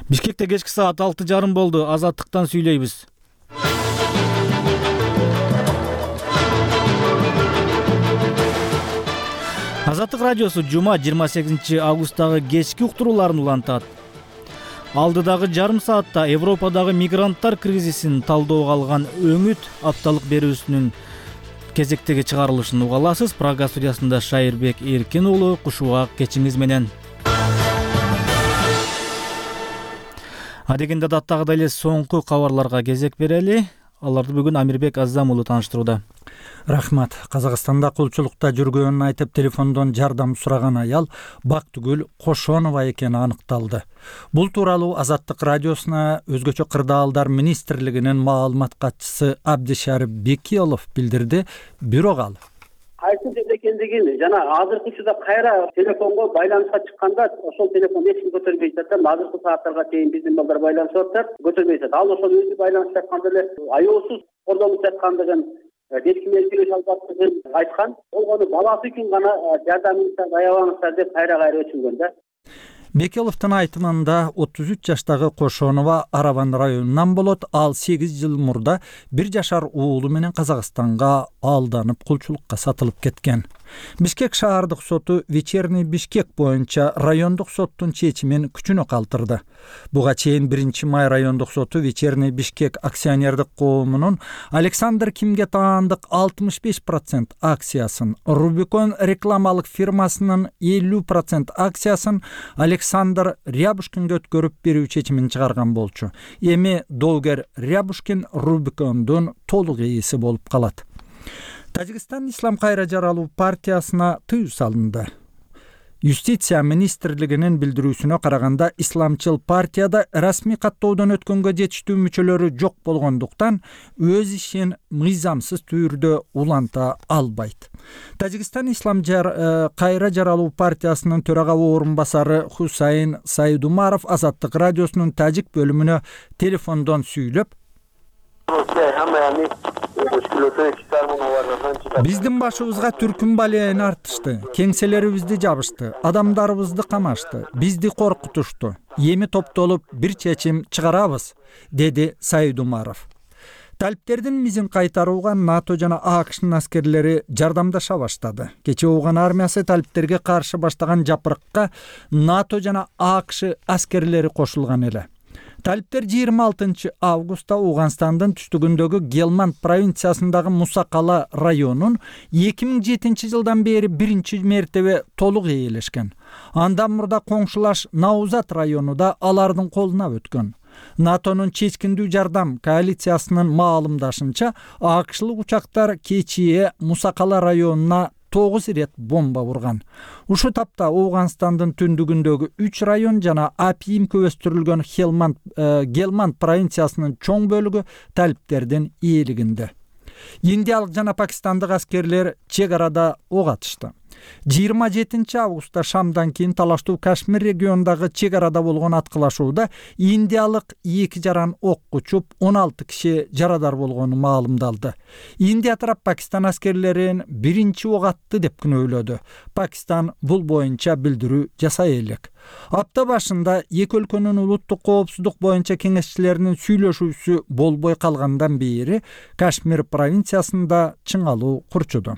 Бишкекте кечки саат 6:30 болду. Азаттыктан сүйлөйбүз. Азаттык радиосу жума 28 августтагы кечки уктурууларын улантат. Алдыдагы жарым саатта Европадагы мигранттар кризисин талдоого алган өңүт апталык берүүсүнүн кезектеги чыгарылышын уга аласыз. Прага студиясында Шайырбек Эркин уулу кушугак кечиңиз менен. Адегенде даттагыдай эле соңку кабарларга кезек берели. Аларды бүгүн Амирбек Азам уулу тааныштырууда. Рахмат. Казакстанда кулчулукта жүргөнүн айтып телефондон жардам сураган аял Бактыгүл Кошонова экени аныкталды. Бул тууралуу Азаттык радиосуна өзгөчө кырдаалдар министрлигинин маалымат катчысы Абдишарип Бекиолов билдирди. Бирок ал кайсы жерде экендигин жана азыркы учурда кайра телефонго байланышка чыкканда ошол телефонду эч ким көтөрбөй жатат. Азыркы сааттарга чейин биздин балдар байланышып атат, көтөрбөй жатат. Ал ошол өзү байланышып атканда эле аеосуз кордонуп жаткандыгын, эч ким келип албаптыгын айткан. Болгону баласы үчүн гана жардамыңызды аябаңыздар деп кайра өтүнгөн да. Бекеловдун айтымында 33 жаштагы Кошонова Араван районунан болот. Ал 8 жыл мурда 1 жашар уулу менен Казакстанга алданып кулчулукка сатылып кеткен. Бишкек шаардык соту Вечерний Бишкек боюнча райондук соттун чечимин күчүнө калтырды. Буга чейин 1 май райондук соту Вечерний Бишкек акционердик коомунун Александр Кимге таандык 65% акциясын, Рубикон рекламалык фирмасынын 50% акциясын Александр Рябушкинге өткөрүп берүү чечимин чыгарган болчу. Эми доогер Рябушкин Рубикондун толук ээси болуп калат. Тажикстан Ислам кайра жаралуу партиясына тыюу салынды. Юстиция министрлигинин билдирүүсүнө караганда, исламчыл партияда расмий каттоодон өткөнгө жетиштүү мүчөлөрү жок болгондуктан өз ишин мыйзамсыз түрдө уланта албайт. Тажикстан Ислам кайра жаралуу партиясынын төрага орун басары Хусайн Сайдумаров Азаттык радиосунун тажик бөлүмүнө телефондон сүйлөп, биздин башыбызга түркүн балеяны артышты, кеңселерибизди жабышты, адамдарыбызды камашты, бизди коркутушту. Эми топтолуп бир чечим чыгарабыз, деди Сайдумаров. Талиптердин мизин кайтарууга НАТО жана АКШнын аскерлери жардамдаша баштады. Кечээ Ооган армиясы талиптерге каршы баштаган жапырыкка НАТО жана АКШ аскерлери кошулган эле. Талиптер 26 августта Ауганстандын түштүгүндөгү Гелманд провинциясындагы Мусакала районун 2007 жылдан бери биринчи мертебе толук ээлешкен. Андан мурда коңшулаш Наузат району да алардын колуна өткөн. НАТОнун чечкиндүү жардам коалициясынын маалымдашынча, АКШлык учактар кечээ Мусакала районуна 9 рет бомба урган. Ушу тапта Ауганстандын түндүгүндөгү 3 район жана апийим көбөстүрүлгөн Гелманд провинциясынын чоң бөлүгү талиптердин ээлигинде. Индиялык жана пакистандык аскерлер чек арада ок атышты. 27 августта шамдан кийин талаштуу Кашмир регионундагы чек арада болгон аткылашууда индиялык 2 жаран ок учуп 16 киши жарадар болгону маалымдалды. Индия тарап Пакистан аскерлерин биринчи ок атты деп күнөөлөдү. Пакистан бул боюнча билдирүү жасай элек. Апта башында эки өлкөнүн улуттук коопсуздук боюнча кеңешчилеринин сүйлөшүүсү болбой калгандан бери Кашмир провинциясында чыңалуу курчуду.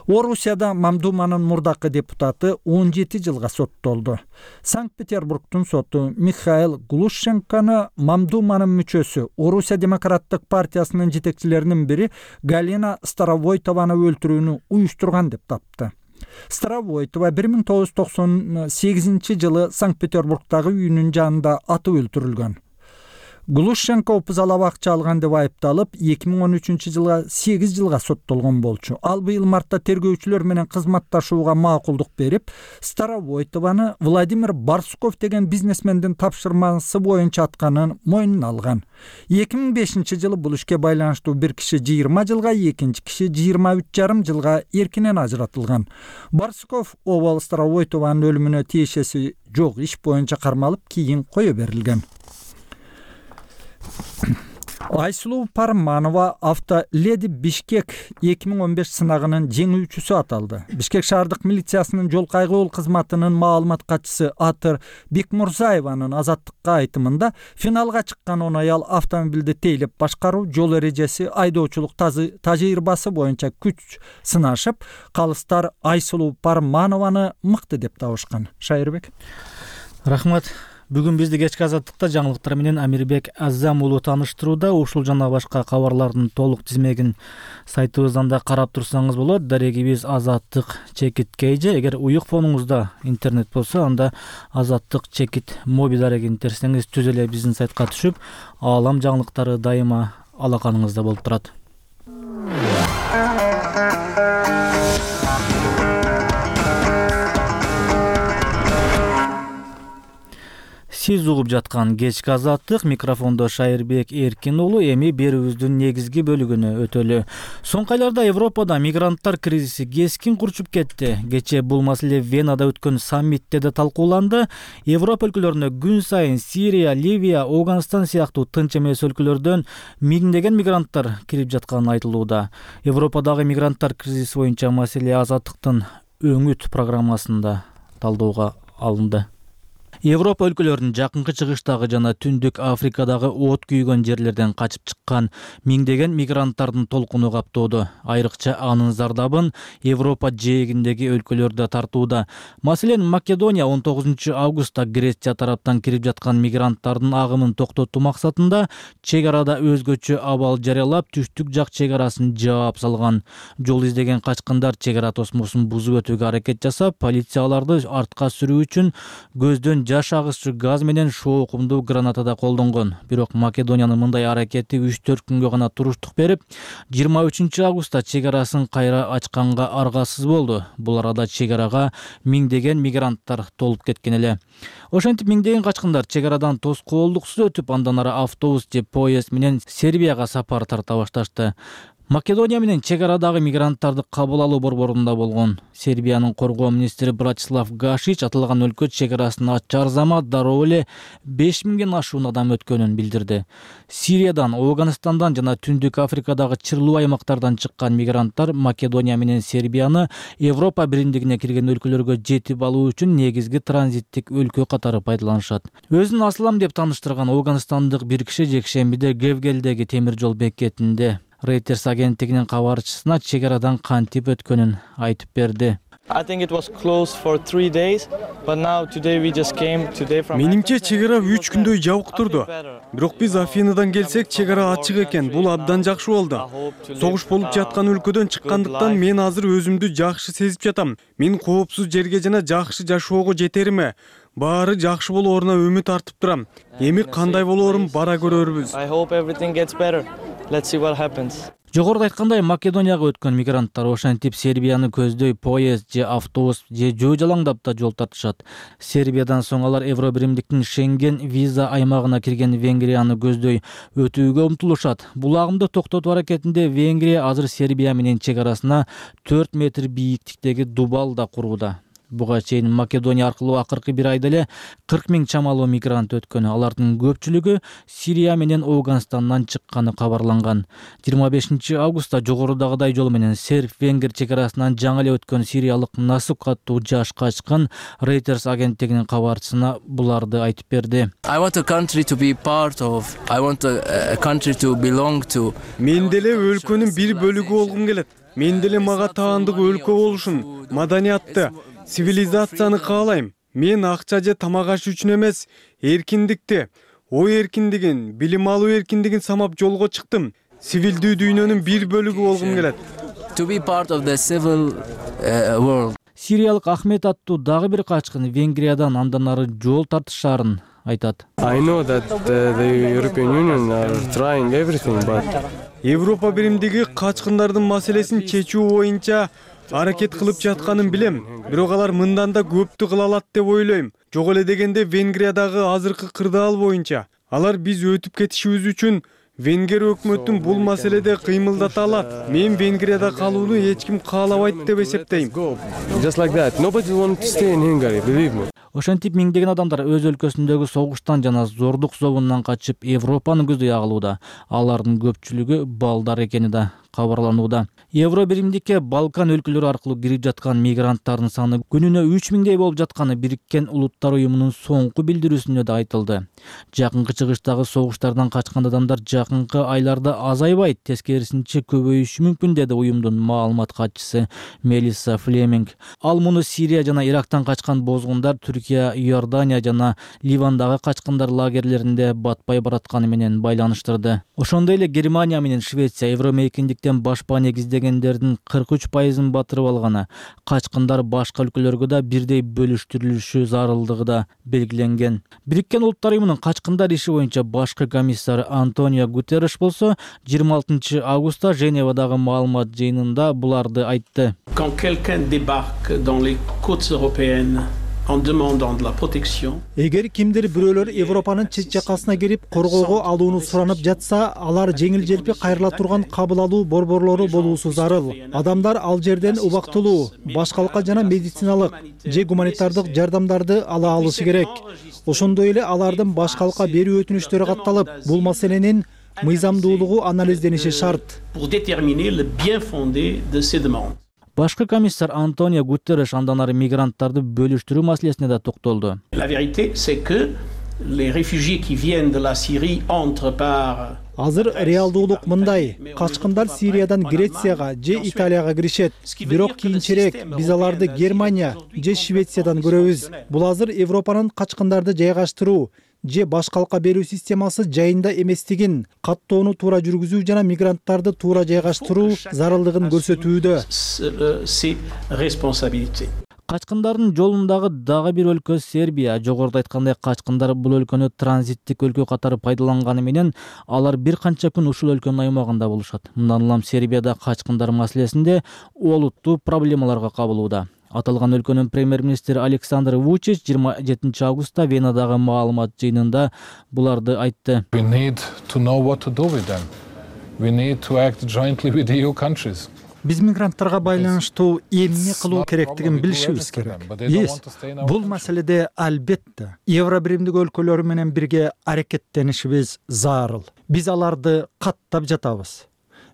Орусияда Мамдуманын мурдакы депутаты 17 жылга соттолду. Санкт-Петербургдун соту Михаил Глушенкону Мамдуманын мүчөсү, Орусия демократтык партиясынын жетекчилеринин бири Галина Старовойтованы өлтүрүүнү уюштурган деп тапты. Старовойтова 1998 жылы Санкт-Петербургдагы үйүнүн жанында атып өлтүрүлгөн. Глушенко опузалап акча алган деп айыпталып, 2013 жылга 8 жылга соттолгон болчу. Ал быйыл мартта тергөөчүлөр менен кызматташууга макулдук берип, Старовойтованы Владимир Барсуков деген бизнесмендин тапшырмасы боюнча атканын мойнуна алган. 2005 жылы бул ишке байланыштуу бир киши 20 жылга, экинчи киши 23,5 жылга эркинен ажыратылган. Барсуков обал Старовойтованын өлүмүнө тиешеси жок иш боюнча кармалып, кийин кое берилген. Айсулуу Парманова Автоледи Бишкек 2015 сынагынын жеңүүчүсү аталды. Бишкек шаардык милициясынын жол кайгылуу кызматынын маалымат катчысы Атыр Бекмурзаеванын Азаттыкка айтымында финалга чыккан 10 аял автомобилди тейлеп башкаруу, жол эрежеси, айдоочулук тажрыйбасы боюнча күч сынашып, калыстар Айсулуу Парманованы мыкты деп табышкан. Шайырбек. Рахмат. Бүгүн бизди кечки Азаттыкта жаңылыктар менен Амирбек Азам уулу тааныштырууда. Ушул жана башка кабарлардын толук тизмегин сайтыбыздан да карап турсаңыз болот. Дарегибиз Азаттык чекит KG. Эгер уюк фонуңузда интернет болсо, анда Азаттык чекит моби дарегин терсеңиз түз эле биздин сайтка түшүп, аалам жаңылыктары дайыма алаканыңызда болуп турат. Сиз угуп жаткан кечки Азаттык, микрофондо Шайырбек Эркин уулу. Эми берүүбүздүн негизги бөлүгүнө өтөлү. Соңку айларда Европада мигранттар кризиси кескин курчуп кетти. Кечээ бул маселе Венада өткөн саммитте да талкууланды. Европа өлкөлөрүнө күн сайын Сирия, Ливия, Афганистан сыяктуу тынч эмес өлкөлөрдөн миңдеген мигранттар кирип жатканы айтылууда. Европадагы мигранттар кризиси боюнча маселе Азаттыктын өңүт программасында талдоого алынды. Европа өлкөлөрүнүн жакынкы чыгыштагы жана Түндүк Африкадагы от күйгөн жерлерден качып чыккан миңдеген мигранттардын толкуну каптоодо. Айрыкча анын зардабын Европа жээгиндеги өлкөлөр да тартууда. Маселен, Македония 19 августта Греция тараптан кирип жаткан мигранттардын агымын токтотуу максатында чек арада өзгөчө абал жарыялап, түштүк жак чек арасын жаап салган. Жол издеген качкындар чек ара тосмосун бузуп өтүүгө аракет жасап, полиция аларды артка сүрүү үчүн көздөн жаш агысчы газ менен шоо кумдуу граната да колдонгон. Бирок Македониянын мындай аракети 3-4 күнгө гана туруштук берип, 23 августта чек арасын кайра ачканга аргасыз болду. Бул арада чек арага миңдеген мигранттар толуп кеткен эле. Ошентип миңдеген качкындар чек арадан тоскоолдуксуз өтүп, андан ары автобус же поезд менен Сербияга сапар тарта башташты. Македония менен чек арадагы мигранттарды кабыл алуу борборунда болгон. Сербиянын коргоо министри Братислав Гашич аталган өлкө чек арасын ачар замат дароо эле 5000ден ашуун адам өткөнүн билдирди. Сириядан, Афганистандан жана Түндүк Африкадагы чырлуу аймактардан чыккан мигранттар Македония менен Сербияны Европа биримдигине кирген өлкөлөргө жетип алуу үчүн негизги транзиттик өлкө катары пайдаланышат. Өзүн Аслам деп тааныштырган афганистандык бир киши жекшембиде Гевгелдеги темир жол бекетинде Reuters агенттигинин кабарчысына чек арадан кантип өткөнүн айтып берди. Менимче чек ара 3 күндөй жабык турду. Бирок биз Афинадан келсек, чек ара ачык экен. Бул абдан жакшы болду. Согуш болуп жаткан өлкөдөн чыккандыктан мен азыр өзүмдү жакшы сезип жатам. Мен коопсуз жерге жана жакшы жашоого жетериме, баары жакшы болооруна үмүт артып турам. Эми кандай болоорун бара көрөрбүз. Жогоруда айткандай, Македонияга өткөн мигранттар ошентип Сербияны көздөй поезд же автобус же жөө жалаңдап да жол тартышат. Сербиядан соң алар Евро биримдиктин Шенген виза аймагына кирген Венгрияны көздөй өтүүгө умтулушат. Бул агымды токтотуу аракетинде Венгрия азыр Сербия менен чек арасына 4 метр бийиктиктеги дубал да курууда. Буга чейин Македония аркылуу акыркы бир айда эле 40 000 чамалуу мигрант өткөн. Алардын көпчүлүгү Сирия менен Афганистандан чыкканы кабарланган. 25 августта жогорудагыдай жол менен серб-венгер чек арасынан жаңы эле өткөн сириялык Насук аттуу жаш качкын Reuters агенттигинин кабарчысына буларды айтып берди. Мен деле өлкөнүн бир бөлүгү болгум келет. Мен деле мага таандык өлкө болушун, маданиятты, цивилизацияны каалайм. Мен акча же тамак аш үчүн эмес, эркиндикти, ой эркиндигин, билим алуу эркиндигин самап жолго чыктым. Сивилдүү дүйнөнүн бир бөлүгү болгум келет. Сириялык Ахмет аттуу дагы бир качкын Венгриядан андан ары жол тартышаарын айтат. Европа биримдиги качкындардын маселесин чечүү боюнча аракет кылып жатканын билем. Бирок алар мындан да көптү кыла алат деп ойлойм. Жок эле дегенде Венгриядагы азыркы кырдаал боюнча алар биз өтүп кетишибиз үчүн Венгер өкмөтүн бул маселеде кыймылдата алат. Мен Венгрияда калууну эч ким каалабайт деп эсептейм. Just like that. Nobody wants to stay in Hungary, believe me. Ошентип миңдеген адамдар өз өлкөсүндөгү согуштан жана зордук зобундан качып Европаны көздөй агылууда. Алардын көпчүлүгү балдар экени да кабарланууда. Евро биримдикке Балкан өлкөлөрү аркылуу кирип жаткан мигранттардын саны күнүнө 3000дей болуп жатканы Бириккен Улуттар уюмунун соңку билдирүүсүндө да айтылды. Жакынкы чыгыштагы согуштардан качкан адамдар жакынкы айларда азайбайт, тескерисинче көбөйүшү мүмкүн, деди уюмдун маалымат катчысы Мелисса Флеминг. Ал муну Сирия жана Ирактан качкан бозгундар Түркия, Иордания жана Ливандагы качкындар лагерлеринде батпай баратканы менен байланыштырды. Ошондой эле Германия менен Швеция евромейкиндиктен башпа негиздегендердин 43%-ын батырып алганы, качкындар башка өлкөлөргө да бирдей бөлүштүрүлүшү зарылдыгы да белгиленген. Бириккен Улуттар уюмунун качкындар иши боюнча башкы комиссар Антонио Гутерреш болсо 26 августта Женевадагы маалымат жыйынында буларды айтты. Quand quelqu'un débarque dans les côtes européennes en demandant de la protection. Эгер кимдир бирөөлөр Европанын чет жакасына кирип коргоого алууну суранып жатса, алар жеңил-желпи кайрыла турган кабыл алуу борборлору болуусу зарыл. Адамдар ал жерден убактылуу, башкалыкка жана медициналык же гуманитардык жардамдарды ала алышы керек. Ошондой эле алардын башкалыкка берүү өтүнүчтөрү катталып, бул маселенин мыйзамдуулугу анализдениши шарт. Pour déterminer le bien fondé de ces demandes. Башкы комиссар Антонио Гутерреш андан ары мигранттарды бөлүштүрүү маселесине да токтолду. La vérité, c'est que les réfugiés qui viennent de la Syrie entrent par Азыр реалдуулук мындай: качкындар Сириядан Грецияга же Италияга киришет. Бирок кийинчерээк биз аларды Германия же Швециядан көрөбүз. Бул азыр Европанын качкындарды жайгаштыруу же башкалыкка берүү системасы жайында эместигин, каттоону туура жүргүзүү жана мигранттарды туура жайгаштыруу зарылдыгын көрсөтүүдө. ses responsabilités. Качкындардын жолундагы дагы бир өлкө Сербия. Жогоруда айткандай, качкындар бул өлкөнү транзиттик өлкө катары пайдаланганы менен алар бир канча күн ушул өлкөнүн аймагында болушат. Мындан улам Сербияда качкындар маселесинде олуттуу проблемаларга кабылууда. Аталган өлкөнүн премьер-министри Александр Вучич 27 августта Венадагы маалымат жыйынында буларды айтты. We need to know what to do with them. We need to act jointly with the EU countries. Биз мигранттарга байланыштуу эмне кылуу керектигин билишибиз керек. Биз бул маселеде албетте Евро биримдик өлкөлөрү менен бирге аракеттенишибиз зарыл. Биз аларды каттап жатабыз.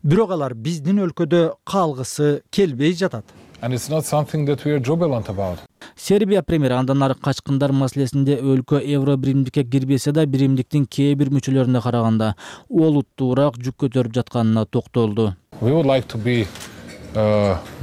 Бирок алар биздин өлкөдө калгысы келбей жатат. And it's not something that we are jubilant about. Сербия премьери андан ары качкындар маселесинде өлкө Евро биримдикке кирбесе да биримдиктин кээ бир мүчөлөрүнө караганда олуттуураак жүк көтөрүп жатканына токтолду. We would like to be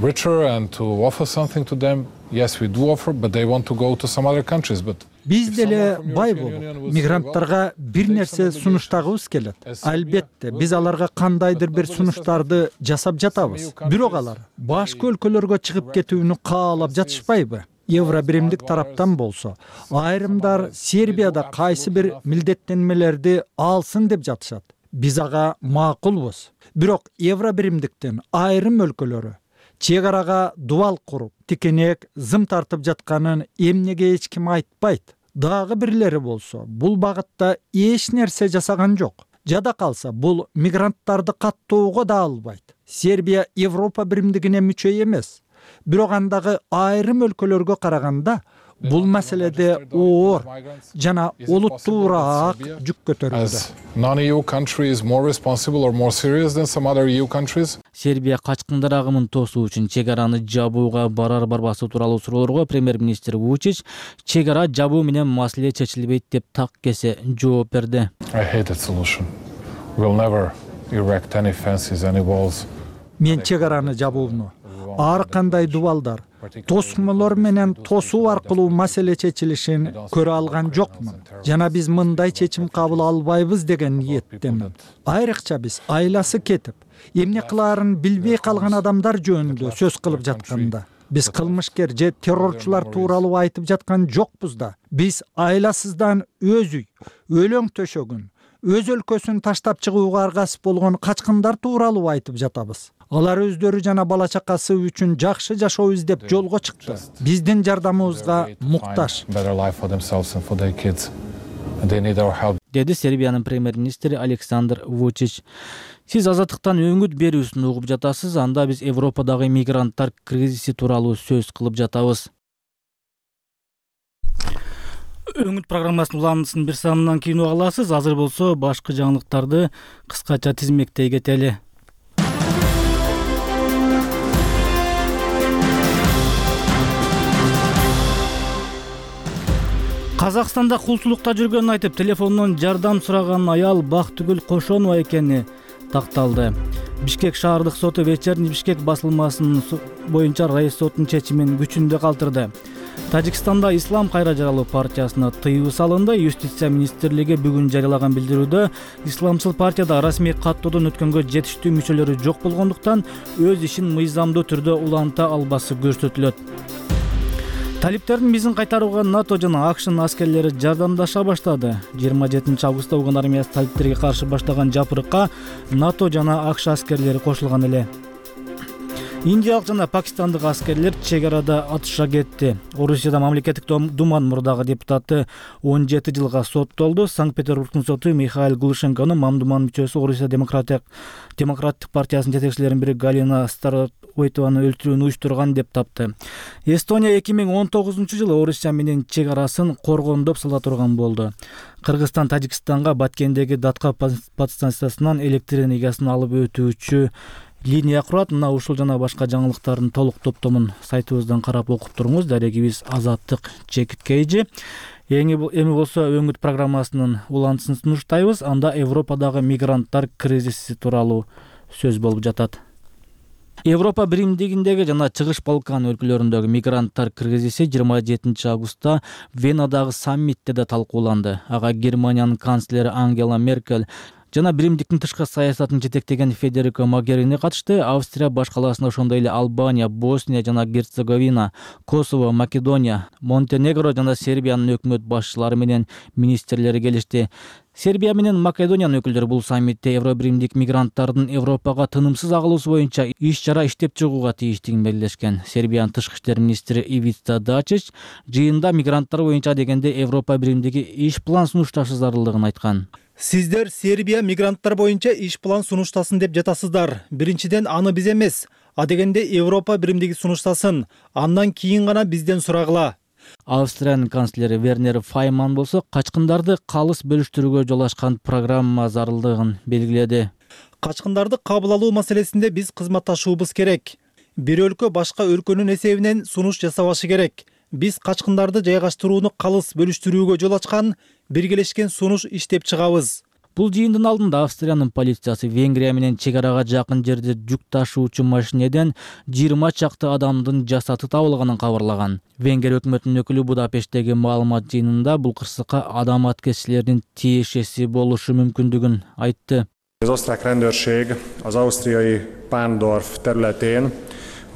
richer and to offer something to them. Yes, we do offer, but they want to go to some other countries. But Биз деле бай болуп, мигранттарга бир нерсе сунуштагыбыз келет. Албетте, биз аларга кандайдыр бир сунуштарды жасап жатабыз. Бирок алар башка өлкөлөргө чыгып кетүүнү каалап жатышпайбы? Евро биримдик тараптан болсо, айрымдар Сербияда кайсы бир милдеттенмелерди алсын деп жатышат. Биз ага макулбуз. Бирок Евро биримдиктен айрым өлкөлөрү чек арага дубал куруп, тикенек зым тартып жатканын эмнеге эч ким айтпайт. Дагы бирлери болсо, бул багытта эч нерсе жасаган жок. Жада калса, бул мигранттарды каттоого да албайт. Сербия Европа биримдигине мүчө эмес. Бирок андагы айрым өлкөлөргө караганда бул маселеде оор жана олуттуураак жүк көтөрүүдө. Non-EU country is more responsible or more serious than some other EU countries. Сербия качкындар агымын тосуу үчүн чек араны жабууга барар-барбасы тууралуу суроолорго премьер-министр Вучич чек ара жабуу менен маселе чечилбейт деп так кесе жооп берди. I hate that solution. We'll never erect any fences, any walls. Мен чек араны жабууну ар кандай дубалдар, тосмолор менен тосуу аркылуу маселе чечилишин көрө алган жокмун. Жана биз мындай чечим кабыл албайбыз деген ниеттемин. Айрыкча биз айласы кетип, эмне кылаарын билбей калган адамдар жөнүндө сөз кылып жатканда, биз кылмышкер же террорчулар тууралуу айтып жаткан жокпуз да. Биз айласыздан өз үй, өлөң төшөгүн, өз өлкөсүн таштап чыгууга аргасып болгон качкындар тууралуу айтып жатабыз. Алар өздөрү жана бала чакасы үчүн жакшы жашоо издеп жолго чыкты. Биздин жардамыбызга муктаж. деди Сербиянын премьер-министри Александр Вучич. Сиз азаттыктан өңүт берүүсүн угуп жатасыз, анда биз Европадагы мигранттар кризиси тууралуу сөз кылып жатабыз. Өңүт программасынын уландысын бир санынан кийин уга аласыз. Азыр болсо башкы жаңылыктарды кыскача тизмектей кетели. Казакстанда кулчулукта жүргөнүн айтып, телефондон жардам сураган аял Бактыгүл Кошонова экени такталды. Бишкек шаардык соту вечерний Бишкек басылмасынын боюнча райыс сотунун чечимин күчүндө калтырды. Тажикстанда Ислам кайра жаралуу партиясына тыюу салынды. Юстиция министрлиги бүгүн жарыялаган билдирүүдө исламчыл партияда расмий каттоодон өткөнгө жетиштүү мүчөлөрү жок болгондуктан өз ишин мыйзамдуу түрдө уланта албасы көрсөтүлөт. Талиптердин бизин кайтарууга НАТО жана АКШнын аскерлери жардамдаша баштады. 27 августта Афган армиясы талиптерге каршы баштаган жапырыкка НАТО жана АКШ аскерлери кошулган эле. Индиялык жана пакистандык аскерлер чек арада атышка кетти. Орусияда мамлекеттик думанын мурдагы депутаты 17 жылга соттолду. Санкт-Петербургдун соту Михаил Глушенкону Мамдуман мүчөсү Орусия демократтык партиясынын жетекчилеринин бири Галина Старойтованы өлтүрүүнү уюштурган деп тапты. Эстония 2019-жылы Орусия менен чек арасын коргондоп сала турган болду. Кыргызстан Тажикстанга Баткендеги Датка подстанциясынан электр энергиясын алып өтүүчү линия курат. Мына ушул жана башка жаңылыктардын толук топтомун сайтыбыздан карап окуп туруңуз. Дарегибиз Азаттык Чекиткейжи. Эми болсо өңүт программасынын улантысын сунуштайбыз. Анда Европадагы мигранттар кризиси тууралуу сөз болуп жатат. Европа биримдигиндеги жана Чыгыш Балкан өлкөлөрүндөгү мигранттар кризиси 27 августта Венадагы саммитте да талкууланды. Ага Германиянын канцлери Ангела Меркель жана биримдиктин тышкы саясатын жетектеген Федерико Могерини катышты. Австрия башкаласында ошондой эле Албания, Босния жана Герцеговина, Косово, Македония, Монтенегро жана Сербиянын өкмөт башчылары менен министрлери келишти. Сербия менен Македониянын өкүлдөрү бул саммитте Евробиримдик мигранттардын Европага тынымсыз агылуусу боюнча иш-чара иштеп чыгууга тийиштигин белгилешкен. Сербиянын тышкы иштер министри Ивица Дачич жыйында мигранттар боюнча дегенде Европа биримдиги иш план сунушташы зарылдыгын айткан. Сиздер Сербия мигранттар боюнча иш план сунуштасын деп жатасыздар. Биринчиден аны биз эмес, а дегенде Европа биримдиги сунуштасын. Андан кийин гана бизден сурагыла. Австриянын канцлери Вернер Файман болсо качкындарды калыс бөлүштүрүүгө жол ачкан программа зарылдыгын белгиледи. Качкындарды кабыл алуу маселесинде биз кызматташуубуз керек. Бир өлкө башка өлкөнүн эсебинен сунуш жасабашы керек. Биз качкындарды жайгаштырууну калыс бөлүштүрүүгө жол ачкан, биргелешкен сунуш иштеп чыгабыз. Бул жыйындын алдында Австриянын полициясы Венгрия менен чек арага жакын жерде жүк ташуучу машинеден 20 чакты адамдын жасаты табылганын кабарлаган. Венгрия өкмөтүнүн өкүлү Будапешттеги маалымат жыйынында бул кырсыкка адам аткезчилердин тиешеси болушу мүмкүндүгүн айтты. Az osztrák rendőrség az ausztriai Pándorf területén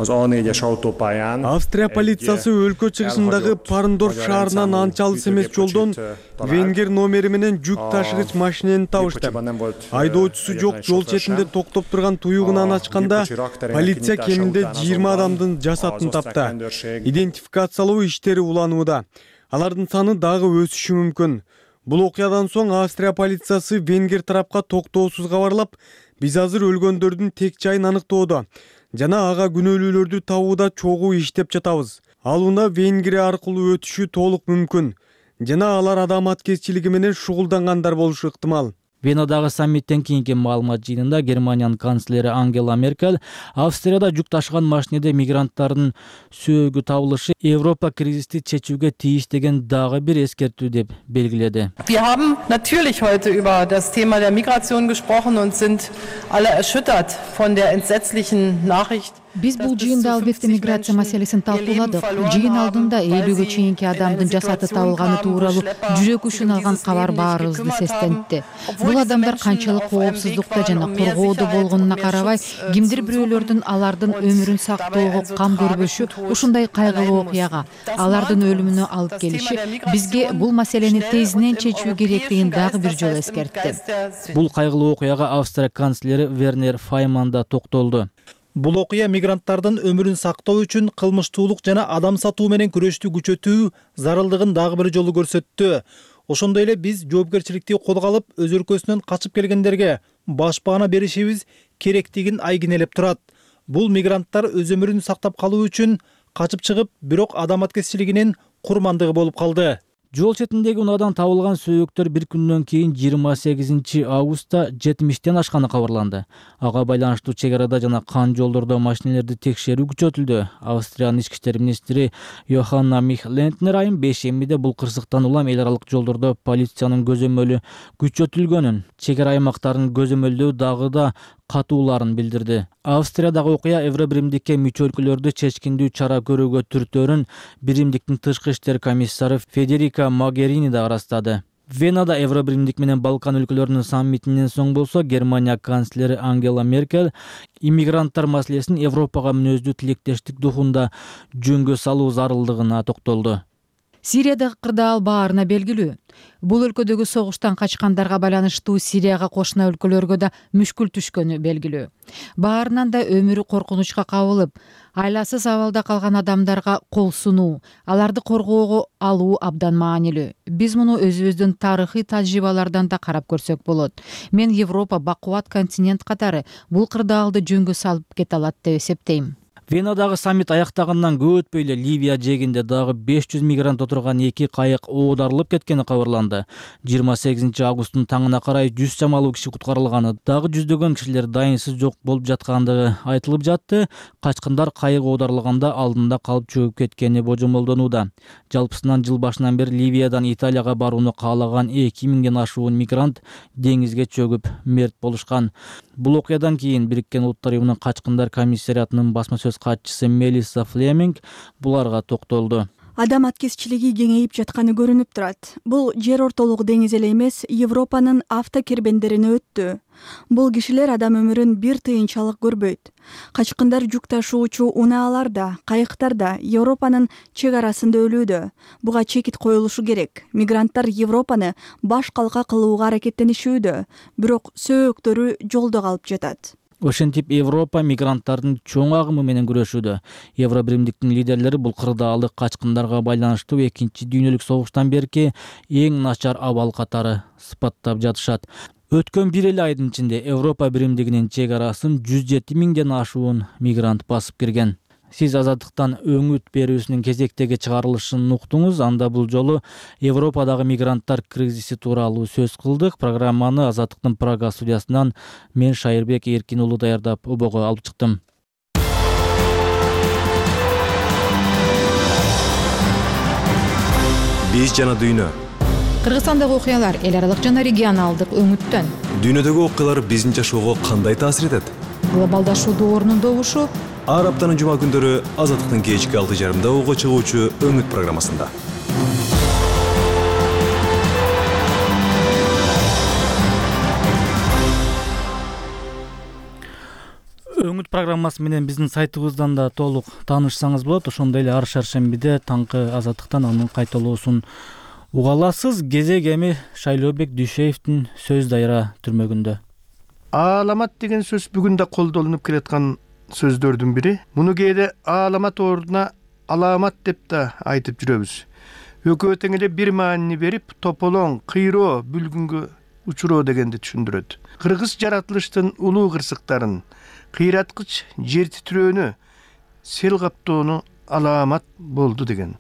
az A4-es autópályán Австрия полициясы өлкө чыгышындагы Парндорф шаарынан анча алыс эмес жолдон венгер номери менен жүк ташыгыч машинени табышты. Айдоочусу жок жол четинде токтоп турган туюгунан ачканда полиция кеминде 20 адамдын жасатын тапты. Идентификациялоо иштери уланууда. Алардын саны дагы өсүшү мүмкүн. Бул окуядан соң Австрия полициясы венгер тарапка токтоосуз кабарлап, биз азыр өлгөндөрдүн тек жайын аныктоодо жана ага күнөөлүүлөрдү табууда чогуу иштеп жатабыз. Ал уна Венгрия аркылуу өтүшү толук мүмкүн жана алар адам аткезчилиги менен шугулдангандар болушу ыктымал. Венадагы саммиттен кийинки маалымат жыйынында Германиянын канцлери Ангела Меркель Австрияда жүк ташыган машинеде мигранттардын сөөгү табылышы Европа кризисти чечүүгө тийиш деген дагы бир эскертүү деп белгиледи. Wir haben natürlich heute über das Thema der Migration gesprochen und sind alle erschüttert von der entsetzlichen Nachricht. Биз бул жыйында албетте миграция маселесин талкууладык. Жыйын алдында 50-гө чейинки адамдын жасаты табылганы тууралуу жүрөк учун алган кабар баарыбызды сестентти. Бул адамдар канчалык коопсуздукта жана коргоодо болгонуна карабай, кимдир бирөөлөрдүн алардын өмүрүн сактоого кам көрбөшү ушундай кайгылуу окуяга, алардын өлүмүнө алып келиши бизге бул маселени тезинен чечүү керектигин дагы бир жолу эскертти. Бул кайгылуу окуяга Австрия канцлери Вернер Файман да токтолду. Бул окуя мигранттардын өмүрүн сактоо үчүн кылмыштуулук жана адам сатуу менен күрөштү күчөтүү зарылдыгын дагы бир жолу көрсөттү. Ошондой эле биз жоопкерчиликти колго алып, өз өлкөсүнөн качып келгендерге башпаана беришибиз керектигин айгинелеп турат. Бул мигранттар өз өмүрүн сактап калуу үчүн качып чыгып, бирок адаматкерчилигинин курмандыгы болуп калды. Жол четиндеги унаадан табылган сөөктөр бир күндөн кийин 28 августта 70тен ашканы кабарланды. Ага байланыштуу чек арада жана кан жолдордо машинелерди текшерүү күчөтүлдү. Австриянын ички иштер министри Йоханна Мих-Лентнер айым бейшембиде бул кырсыктан улам эл аралык жолдордо полициянын көзөмөлү күчөтүлгөнүн, чек ара аймактарын көзөмөлдөө дагы да катууларын билдирди. Австриядагы окуя Евробиримдикке мүчө өлкөлөрдү чечкиндүү чара көрүүгө түртөөрүн Биримдиктин тышкы иштер комиссары Федерика Могерини да ырастады. Венада Евробиримдик менен Балкан өлкөлөрүнүн саммитинен соң болсо Германия канцлери Ангела Меркель иммигранттар маселесин Европага мүнөздүү тилектештик духунда жөнгө салуу зарылдыгына токтолду. Сириядагы кырдаал баарына белгилүү. Бул өлкөдөгү согуштан качкандарга байланыштуу Сирияга кошуна өлкөлөргө да мүшкүл түшкөнү белгилүү. Баарынан да өмүрү коркунучка кабылып, айласыз абалда калган адамдарга кол сунуу, аларды коргоого алуу абдан маанилүү. Биз муну өзүбүздүн тарыхый тажрыйбалардан да карап көрсөк болот. Мен Европа бакубат континент катары бул кырдаалды жөнгө салып кете алат деп эсептейм. Венадагы саммит аяктагандан көп өтпөй эле Ливия жээгинде дагы 500 мигрант отурган 2 кайык оодарылып кеткени кабарланды. 28 августтун таңына карай 100 чамалуу киши куткарылганы, дагы жүздөгөн кишилер дайынсыз жок болуп жаткандыгы айтылып жатты. Качкындар кайык оодарылганда алдында калып чөгүп кеткени божомолдонууда. Жалпысынан жыл башынан бери Ливиядан Италияга барууну каалаган 2000ден ашуун мигрант деңизге чөгүп мерт болушкан. Бул окуядан кийин Бириккен Улуттар Уюмунун качкындар комиссариатынын басма сөз катчысы Мелисса Флеминг буларга токтолду. Адам аткезчилиги кеңейип жатканы көрүнүп турат. Бул жер ортолук деңиз эле эмес, Европанын автокербендерине өттү. Бул кишилер адам өмүрүн бир тыйынчалык көрбөйт. Качкындар жүк ташуучу унааларда, кайыктарда Европанын чек арасында өлүүдө. Буга чекит коюлушу керек. Мигранттар Европаны баш калка кылууга аракеттенишүүдө, бирок сөөктөрү жолдо калып жатат. Ошентип Европа мигранттардын чоң агымы менен күрөшүүдө. Евробиримдиктин лидерлери бул кырдаалды качкындарга байланыштуу 2 дүйнөлүк согуштан берки эң начар абал катары сыпаттап жатышат. Өткөн бир эле айдын ичинде Европа биримдигинин чек арасын 107 миңден ашуун мигрант басып кирген. Сиз Азаттыктан өңүт берүүсүнүн кезектеги чыгарылышын уктуңуз. Анда бул жолу Европадагы мигранттар кризиси тууралуу сөз кылдык. Программаны Азаттыктын Прага студиясынан мен Шайырбек Эркин уулу даярдап обого алып чыктым. Биз жана дүйнө. Кыргызстандагы окуялар эл аралык жана регионалдык өңүттөн. Дүйнөдөгү окуялар биздин жашоого кандай таасир этет? Глобалдашуу доорунун добушу. Ар аптанын жума күндөрү Азаттыктын кечки 6:30 ого чыгуучу өңүт программасында. Өңүт программасы менен биздин сайтыбыздан да толук таанышсаңыз болот. Ошондой эле ар шаршембиде таңкы Азаттыктан анын кайталоосун уга аласыз. Кезек эми Шайлообек Дүйшеевдин сөз дайра түрмөгүндө. Ааламат деген сөз бүгүн да колдонулуп келаткан сөздөрдүн бири. Муну кээде ааламат ордуна аламат деп да айтып жүрөбүз. Экөө тең эле бир маанини берип, тополоң, кыйроо, бүлгүнгө учуроо дегенди түшүндүрөт. Кыргыз жаратылыштын улуу кырсыктарын, кыйраткыч жер титирөөнү, сел каптоону аламат болду деген.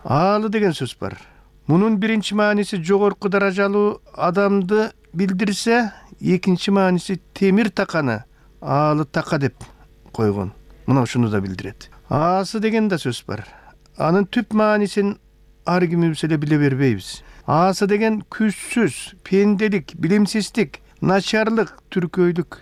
Аалы деген сөз бар. Мунун биринчи мааниси жогорку даражалуу адамды билдирсе, экинчи мааниси темир таканы аалы така деп койгон. Мына ушуну да билдирет. Аасы деген да сөз бар. Анын түп маанисин ар кимибиз эле биле бербейбиз. Аасы деген күчсүз, пенделик, билимсиздик, начарлык, түркөйлүк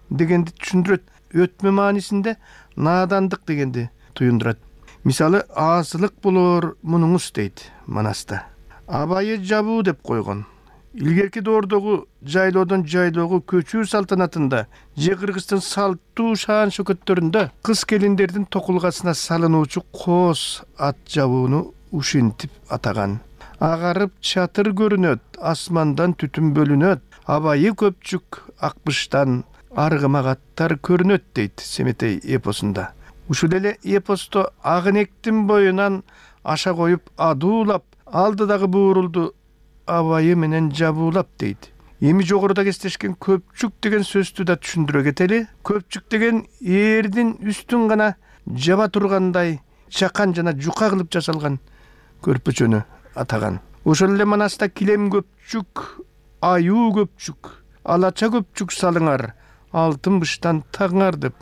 дегенди түшүндүрөт. Өтмө маанисинде наадандык дегенди туюндурат. Мисалы, аасылык болор мунуңуз дейт Манаста. Абайы жабуу деп койгон. Илгерки доордогу жайлоодон жайлоого көчүү салтанатында же Кыргыздын салттуу шаан шөкөттөрүндө кыз келиндердин токулгасына салынуучу коос ат жабууну ушинтип атаган. Агарып чатыр көрүнөт, асмандан түтүн бөлүнөт, абайы көпчүк акбыштан аргымак аттар көрүнөт дейт Семетей эпосунда. Ушул эле эпосто Агынектин боюнан аша коюп адуулап, алдыдагы буурулду абайы менен жабуулап дейт. Эми жогоруда кестешкен көпчүк деген сөздү да түшүндүрө кетели. Көпчүк деген эрдин үстүн гана жаба тургандай чакан жана жука кылып жасалган көрпөчөнү атаган. Ошол эле манаста килем көпчүк, аюу көпчүк, алача көпчүк салыңар, алтын быштан тагыңар деп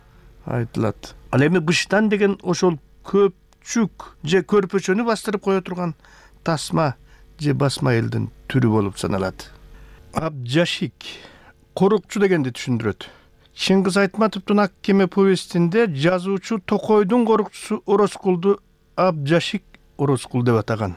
айтылат. Ал эми быштан деген ошол көпчүк же көрпөчөнү бастырып кое турган тасма же басма элдин түрү болуп саналат. Абджашик корукчу дегенди түшүндүрөт. Чыңгыз Айтматовдун Ак кеме повестинде жазуучу Токойдун корукчусу Орозкулду Абджашик Орозкул деп атаган.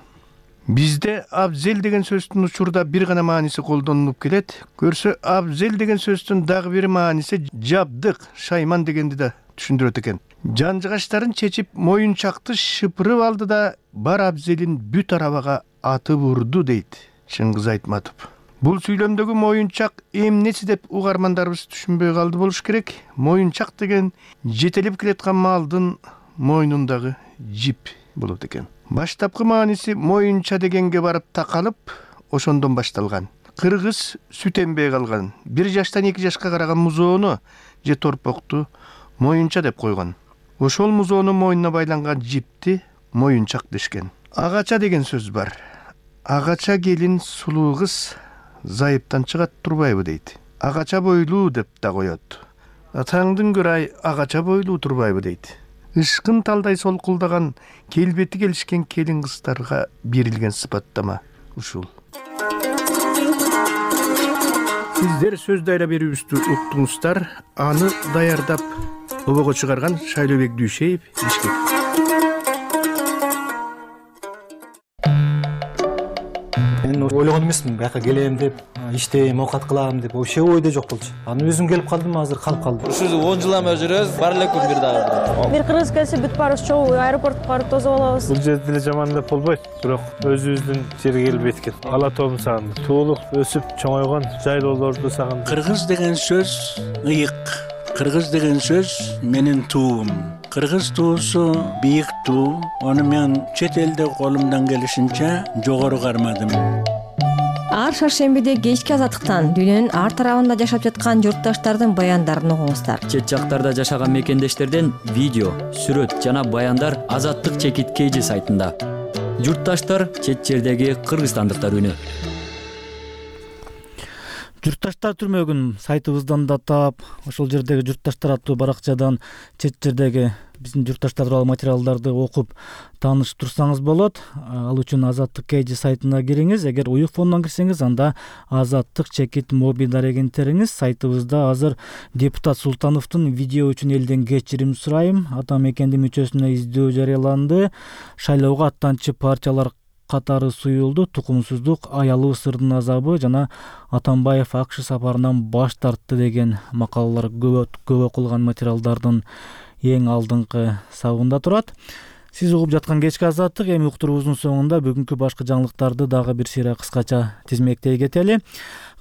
Бизде абзел деген сөздүн учурда бир гана мааниси колдонулуп келет. Көрсө абзел деген сөздүн дагы бир мааниси жабдык, шайман дегенди да түшүндүрөт экен. Жанжыгаштарын чечип моюнчакты шыпырып алды да бар абзелин бүт арабага атып урду дейт Чыңгыз Айтматов. Бул сүйлөмдөгү моюнчак эмнеси деп угармандарыбыз түшүнбөй калды болуш керек. Моюнчак деген жетелеп келаткан малдын мойнундагы жип болот экен. Баштапкы мааниси моюнча дегенге барып такалып, ошондон башталган. Кыргыз сүт эмбей калган, 1 жаштан 2 жашка караган музоону же торпокту моюнча деп койгон. Ошол музоонун мойнуна байланган жипти моюнчак дешкен. Агача деген сөз бар. Агача келин сулуу кыз зайыптан чыгат турбайбы дейт. Агача бойлуу деп да коет. Атаңдын көрай агача бойлуу турбайбы дейт. Ишкын талдай солкулдаган, келбети келишкен келин кыздарга берилген сыпаттама ушул. Сиздер сөз дайра берүүбүздү уктуңуздар. Аны даярдап обого чыгарган Шайлообек Дүйшеев, Бишкек. Мен ойлогон эмесмин, бияка келем деп, иштейм, оокат кылам деп, вообще ойдо жок болчу. Аны өзүм келип калдым, азыр калып калдым. Ушул 10 жылдан бери жүрөбүз, бар эле күн бир дагы. Бир кыргыз келсе бүт барыбыз чогуу аэропортко барып тосуп алабыз. Бул жерде деле жаман деп болбойт, бирок өзүбүздүн жерге келбейт экен. Ала тоом сагындым. Туулуп, өсүп, чоңойгон жайлоолорду сагындым. Кыргыз деген сөз ыйык. Кыргыз деген сөз менин туум. Кыргыз туусу бийик туу. Аны мен чет элде колумдан келишинче жогору кармадым. Ар шаршембиде кечки азаттыктан дүйнөнүн ар тарабында жашап жаткан журтташтардын баяндарын угуңуздар. Чет жактарда жашаган мекендештерден видео, сүрөт жана баяндар Азаттык чекит KG сайтында. Журтташтар чет жердеги кыргызстандыктар үнү. Журтташтар түрмөгүн сайтыбыздан да таап, ошол жердеги журтташтар аттуу баракчадан чет жердеги биздин журтташтар тууралуу материалдарды окуп таанышып турсаңыз болот. Ал үчүн Азаттык KG сайтына кириңиз. Эгер уюфондон кирсеңиз, анда Азаттык чекит моби дарегин териңиз. Сайтыбызда азыр депутат Султановдун видео үчүн элден кечирим сурайм, ата мекенди мүчөсүнө издөө жарыяланды, шайлоого аттанчы партиялар катары суюлду, тукумсуздук, аялуу сырдын азабы жана Атамбаев АКШ сапарынан баш тартты деген макалалар көп окулган материалдардын эң алдыңкы сабында турат. Сиз угуп жаткан кечки Азаттык. Эми уктуруубуздун соңунда бүгүнкү башкы жаңылыктарды дагы бир сыйра кыскача тизмектей кетели.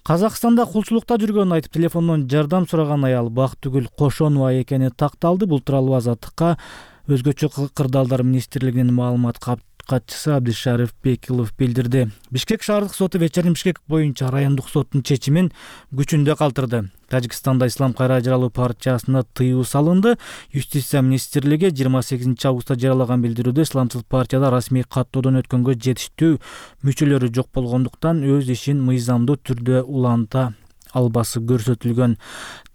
Казакстанда кулчулукта жүргөнүн айтып телефондон жардам сураган аял Бактыгүл Кошонова экени такталды. Бул тууралуу Азаттыкка өзгөчө кырдаалдар министрлигинин маалымат катчысы Абдишариф Бекилов билдирди. Бишкек шаардык соту вечерин Бишкек боюнча райондук соттун чечимин күчүндө калтырды. Тажикстанда Ислам кайра жаралуу партиясына тыюу салынды. Юстиция министрлиги 28 августта жарыялаган билдирүүдө исламчыл партияда расмий каттоодон өткөнгө жетиштүү мүчөлөрү жок болгондуктан өз ишин мыйзамдуу түрдө уланта албасы көрсөтүлгөн.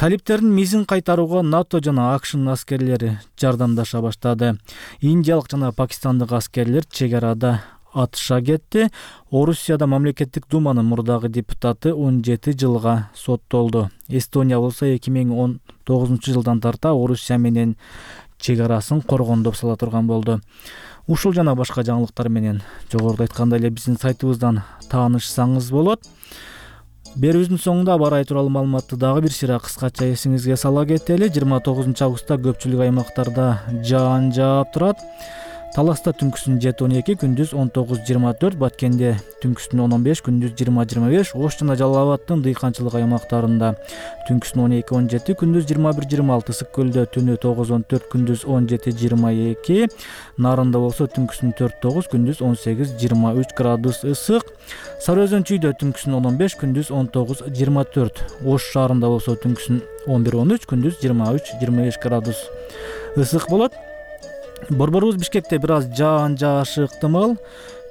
Талиптердин мизин кайтарууга НАТО жана АКШнын аскерлери жардамдаша баштады. Индиялык жана пакистандык аскерлер чек арада атыша кетти. Орусияда мамлекеттик думанын мурдагы депутаты 17 жылга соттолду. Эстония болсо 2019 жылдан тарта Орусия менен чек арасын коргондоп сала турган болду. Ушул жана башка жаңылыктар менен жогоруда айткандай эле биздин сайтыбыздан таанышсаңыз болот. Берүүбүздүн соңунда аба ырайы тууралуу маалыматты дагы бир сыйра кыскача эсиңизге сала кетели. 29 августта көпчүлүк аймактарда жаан жаап турат. Таласта түнкүсүн 7-12, күндүз 19-24, Баткенде түнкүсүн 10-15, күндүз 20-25, Ош жана Жалал Абаддын дыйканчылык аймактарында түнкүсүн 12-17, күндүз 21-26, Ысык көлдө түнү 9-14, күндүз 17-22, Нарында болсо түнкүсүн 4-9, күндүз 18-23 градус ысык. Сары Өзөн чүйдө түнкүсүн 10-15, күндүз 19-24, Ош шаарында болсо түнкүсүн 11-13, күндүз 23-25 градус ысык болот. Борборубуз Бишкекте бир аз жаан жаашы ыктымал.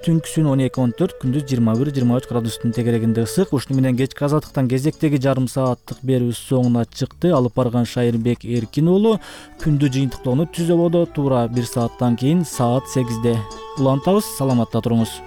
Түнкүсүн 12-14, күндүз 21-23 градустун тегерегинде ысык. Ушуну менен кечки азаттыктан кезектеги жарым сааттык берүүбүз соңуна чыкты. Алып барган Шайырбек Эркин уулу. Күндү жыйынтыктоону Түз Ободо туура 1 сааттан кийин саат 8-де улантабыз. Саламатта туруңуз.